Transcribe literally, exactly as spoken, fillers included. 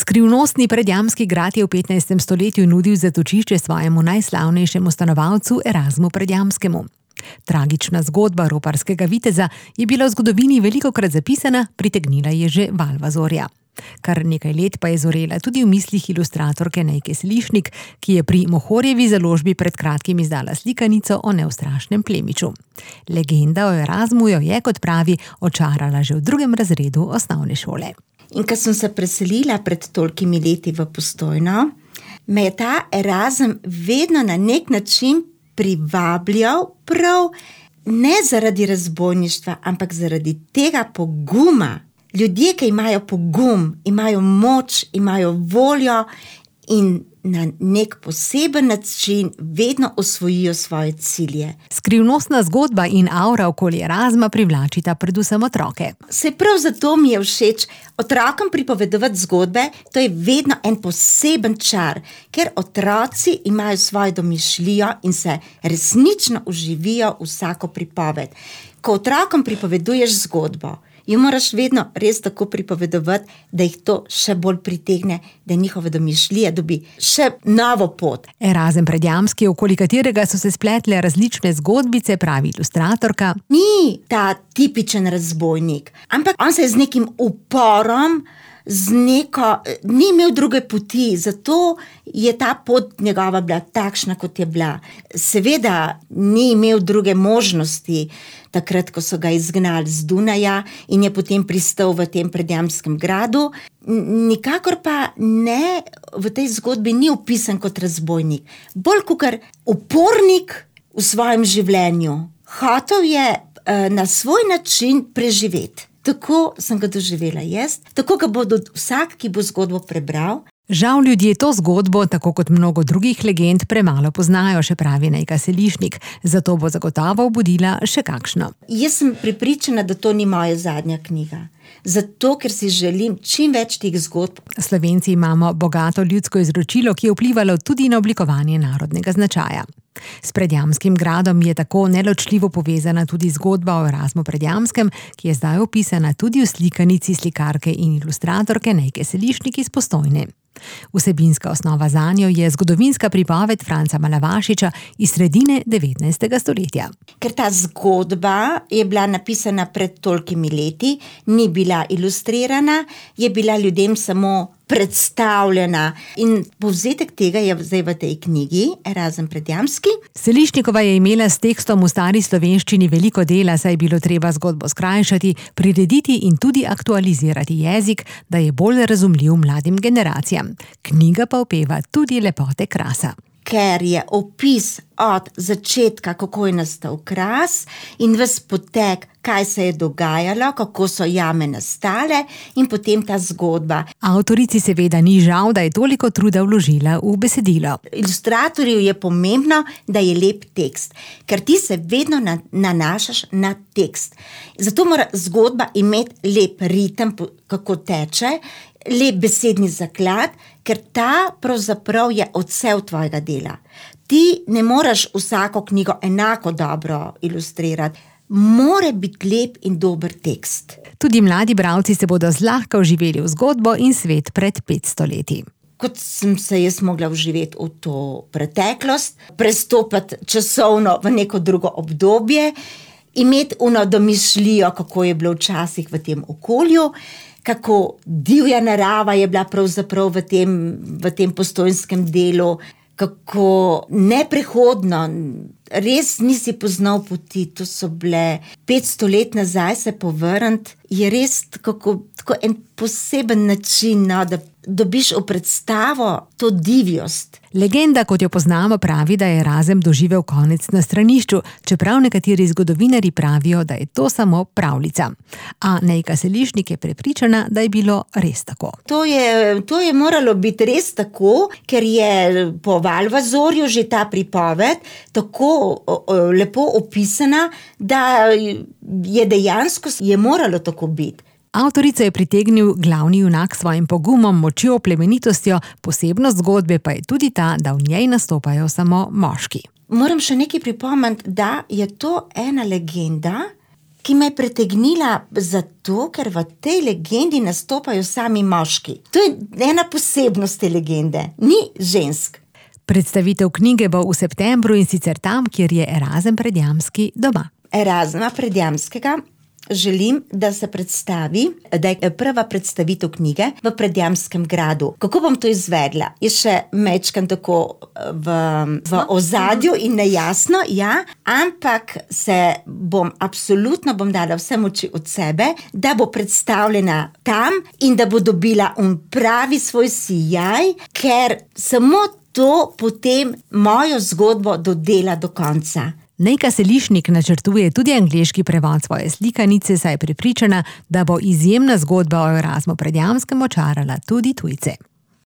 Skrivnostni Predjamski grad je v petnajstem stoletju nudil zatočišče svojemu najslavnejšemu stanovalcu Erasmu Predjamskemu. Tragična zgodba roparskega viteza je bila v zgodovini velikokrat zapisana, pritegnila je že Valvazorja. Kar nekaj let pa je zorela tudi v mislih ilustratorke Nejke Selišnik, ki je pri Mohorjevi založbi pred kratkim izdala slikanico o neustrašnem plemiču. Legenda o Erasmu jo je, kot pravi, očarala že v drugem razredu osnovne šole. In ko sem se preselila pred tolikimi leti v Postojno, me je ta Erasm vedno na nek način privabljal, prav ne zaradi razbojništva, ampak zaradi tega poguma. Ljudje, ki imajo pogum, imajo moč, imajo voljo in na nek poseben način vedno osvojijo svoje cilje. Skrivnostna zgodba in aura okoli Erasma privlačita predvsem otroke. Se prav zato mi je všeč otrokom pripovedovati zgodbe, to je vedno en poseben čar, ker otroci imajo svojo domišljijo in se resnično uživijo vsako pripoved. Ko otrokom pripoveduješ zgodbo, jo moraš vedno res tako pripovedovati, da jih to še bolj pritegne, da njihove domišljije dobi še novo pot. Erasm Predjamski, okoli katerega so se spletle različne zgodbice, pravi ilustratorka, ni ta tipičen razbojnik, ampak on se je z nekim uporom, z neko, ni imel druge poti, zato je ta pot njegova bila takšna, kot je bila. Seveda ni imel druge možnosti, takrat, ko so ga izgnali z Dunaja in je potem pristal v tem Predjamskem gradu. Nikakor pa ne, v tej zgodbi ni opisan kot razbojnik, bolj kakor upornik v svojem življenju. Hotel je uh, na svoj način preživeti. Tako sem ga doživela jaz, tako ga bo vsak, ki bo zgodbo prebral. Žal ljudje to zgodbo, tako kot mnogo drugih legend, premalo poznajo, še pravi Nejka Selišnik, zato bo zagotovo obudila še kakšno. Jaz sem prepričana, da to ni moja zadnja knjiga. Zato, ker si želim čim več teh zgodb. Slovenci imamo bogato ljudsko izročilo, ki je vplivalo tudi na oblikovanje narodnega značaja. S Predjamskim gradom je tako neločljivo povezana tudi zgodba o Erasmu Predjamskem, ki je zdaj opisana tudi v slikanici slikarke in ilustratorke Nejke Selišnik iz Postojne. Vsebinska osnova zanjo je zgodovinska pripoved Franca Malavašiča iz sredine devetnajstega stoletja. Ker ta zgodba je bila napisana pred tolikimi leti, ni bila ilustrirana, je bila ljudem samo predstavljena in povzetek tega je zdaj v tej knjigi Erasm Predjamski. Selišnikova je imela s tekstom v stari slovenščini veliko dela, saj je bilo treba zgodbo skrajšati, prirediti in tudi aktualizirati jezik, da je bolj razumljiv mladim generacijam. Knjiga pa opeva tudi lepote krasa. Ker je opis od začetka, kako je nastal Kras in ves potek, kaj se je dogajalo, kako so jame nastale in potem ta zgodba. Avtorici seveda ni žal, da je toliko truda vložila v besedilo. Ilustratorju je pomembno, da je lep tekst, ker ti se vedno nanašaš na tekst. Zato mora zgodba imeti lep ritem, kako teče, lep besedni zaklad, ker ta pravzaprav je odsev tvojega dela. Ti ne moreš vsako knjigo enako dobro ilustrirati. Mora biti lep in dober tekst. Tudi mladi bralci se bodo zlahka vživeli v zgodbo in svet pred petsto leti. Kot sem se jaz mogla vživeti v to preteklost, prestopiti časovno v neko drugo obdobje, imeti ono domišljijo, kako je bilo včasih v tem okolju, kako divja narava je bila pravzaprav v tem, v tem postojnskem delu, kako neprehodno, res nisi poznal poti, to so bile petsto let nazaj se povrniti, je res tako, tako en poseben način, no, da dobiš v predstavo to divjost. Legenda, kot jo poznamo, pravi, da je Erasm doživel konec na stranišču, čeprav nekateri zgodovinarji pravijo, da je to samo pravljica. A Nejka Selišnik je prepričana, da je bilo res tako. To je, to je moralo biti res tako, ker je po Valvazorju že ta pripoved tako o, o, lepo opisana, da je dejansko je moralo tako biti. Avtorico je pritegnil glavni junak s svojim pogumom, močjo, plemenitostjo, posebnost zgodbe pa je tudi ta, da v njej nastopajo samo moški. Moram še nekaj pripomniti, da je to ena legenda, ki me je pritegnila zato, ker v tej legendi nastopajo sami moški. To je ena posebnost te legende, ni žensk. Predstavitev knjige bo v septembru in sicer tam, kjer je Erazem Predjamski doma. Erazma Predjamskega želim, da se predstavi, da je prva predstavitev knjige v Predjamskem gradu. Kako bom to izvedla? Je še mečkan tako v, v ozadju in nejasno, ja, ampak se bom, absolutno bom dala vse moči od sebe, da bo predstavljena tam in da bo dobila un pravi svoj sijaj, ker samo to potem mojo zgodbo dodela do konca. Nejka Selišnik načrtuje tudi angleški prevod svoje slikanice, saj je prepričana, da bo izjemna zgodba o Erazmu Predjamskem očarala tudi tujce.